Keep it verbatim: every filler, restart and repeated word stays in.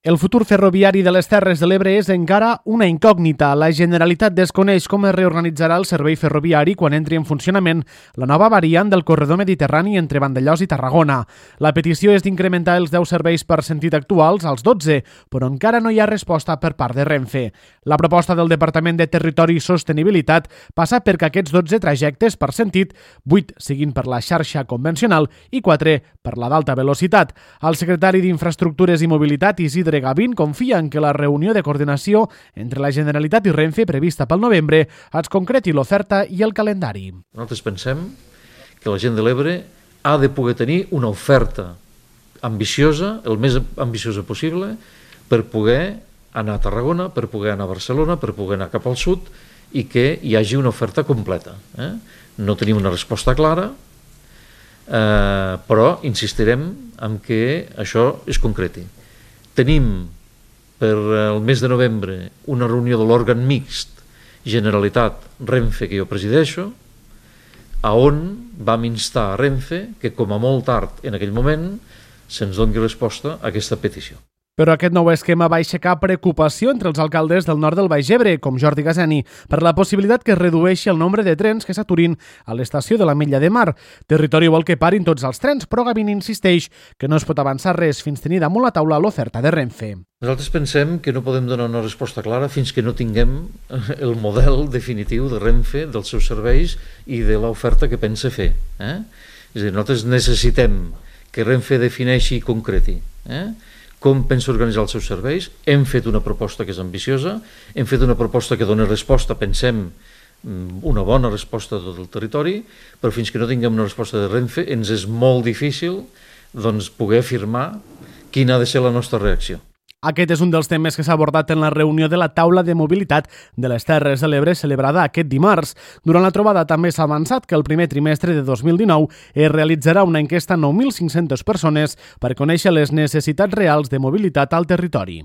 El futur ferroviari de les Terres de l'Ebre és encara una incògnita. La Generalitat desconeix com es reorganitzarà el servei ferroviari quan entri en funcionament la nova variant del corredor mediterrani entre Vandellòs i Tarragona. La petició és d'incrementar els deu serveis per sentit actuals als dotze, però encara no hi ha resposta per part de Renfe. La proposta del Departament de Territori i Sostenibilitat passa perquè aquests dotze trajectes per sentit, vuit siguin per la xarxa convencional i quatre per la d'alta velocitat. El secretari d'Infraestructures i Mobilitat, Isidre Gavín, confia en que la reunió de coordinació entre la Generalitat i Renfe prevista pel novembre es concreti l'oferta i el calendari. Nosaltres pensem que la gent de l'Ebre ha de poder tenir una oferta ambiciosa, el més ambiciosa possible, per poder anar a Tarragona, per poder anar a Barcelona, per poder anar cap al sud i que hi hagi una oferta completa. Eh? No tenim una resposta clara, eh, però insistirem en que això es concreti. Tenim per el mes de novembre una reunió de l'òrgan mixt Generalitat-Renfe que jo presideixo, a on vam instar a Renfe que com a molt tard en aquell moment se'ns doni resposta a aquesta petició. Però aquest nou esquema va aixecar preocupació entre els alcaldes del nord del Baix Ebre, com Jordi Gazeni, per la possibilitat que es redueixi el nombre de trens que s'aturin a l'estació de l'Ametlla de Mar. Territori vol que parin tots els trens, però Gavín insisteix que no es pot avançar res fins tenir damunt la taula l'oferta de Renfe. Nosaltres pensem que no podem donar una resposta clara fins que no tinguem el model definitiu de Renfe, dels seus serveis i de l'oferta que pensa fer. Eh? És a dir, nosaltres necessitem que Renfe defineixi i concreti eh? com pensa organitzar els seus serveis. Hem fet una proposta que és ambiciosa, hem fet una proposta que dona resposta, pensem, una bona resposta a tot el territori, però fins que no tinguem una resposta de Renfe ens és molt difícil doncs, poder afirmar quina ha de ser la nostra reacció. Aquest és un dels temes que s'ha abordat en la reunió de la taula de mobilitat de les Terres de l'Ebre celebrada aquest dimarts. Durant la trobada també s'ha avançat que el primer trimestre de dos mil dinou es realitzarà una enquesta a nou mil cinc-centes persones per conèixer les necessitats reals de mobilitat al territori.